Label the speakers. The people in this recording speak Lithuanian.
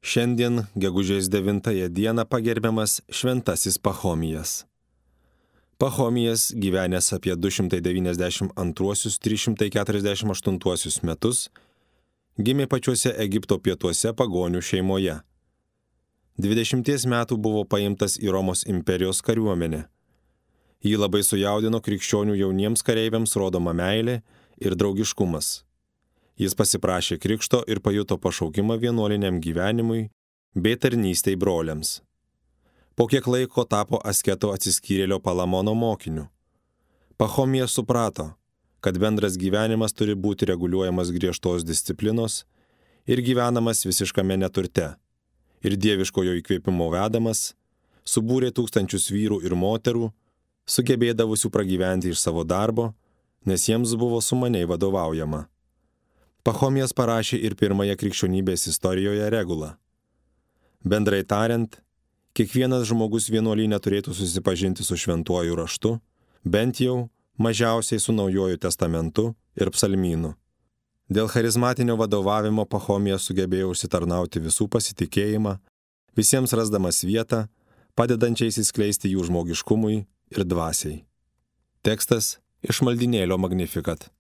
Speaker 1: Šiandien, gegužės 9 dieną, pagerbiamas šventasis Pachomijas. Pachomijas, gyvenęs apie 292-348 metus, gimė pačiuose Egipto pietuose pagonių šeimoje. 20 metų buvo paimtas į Romos imperijos kariuomenę. Jį labai sujaudino krikščionių jauniems kareiviams rodoma meilė ir draugiškumas. Jis pasiprašė krikšto ir pajuto pašaukimą vienuoliniam gyvenimui bei tarnystei broliams. Po kiek laiko tapo asketo atsiskyrėlio Palamono mokiniu. Pachomijas suprato, kad bendras gyvenimas turi būti reguliuojamas griežtos disciplinos ir gyvenamas visiškame neturte. Ir dieviškojo įkvėpimo vedamas, subūrė tūkstančius vyrų ir moterų, sugebėdavusių pragyventi iš savo darbo, nes jiems buvo sumaniai vadovaujama. Pachomijas parašė ir pirmąją krikščionybės istorijoje regulą. Bendrai tariant, kiekvienas žmogus vienuolyne turėtų susipažinti su šventuoju raštu, bent jau mažiausiai su Naujuoju testamentu ir psalmynu. Dėl charizmatinio vadovavimo Pachomijas sugebėjo užsitarnauti visų pasitikėjimą, visiems rasdamas vietą, padedančiais įskleisti jų žmogiškumui ir dvasiai. Tekstas iš maldynėlio Magnificat.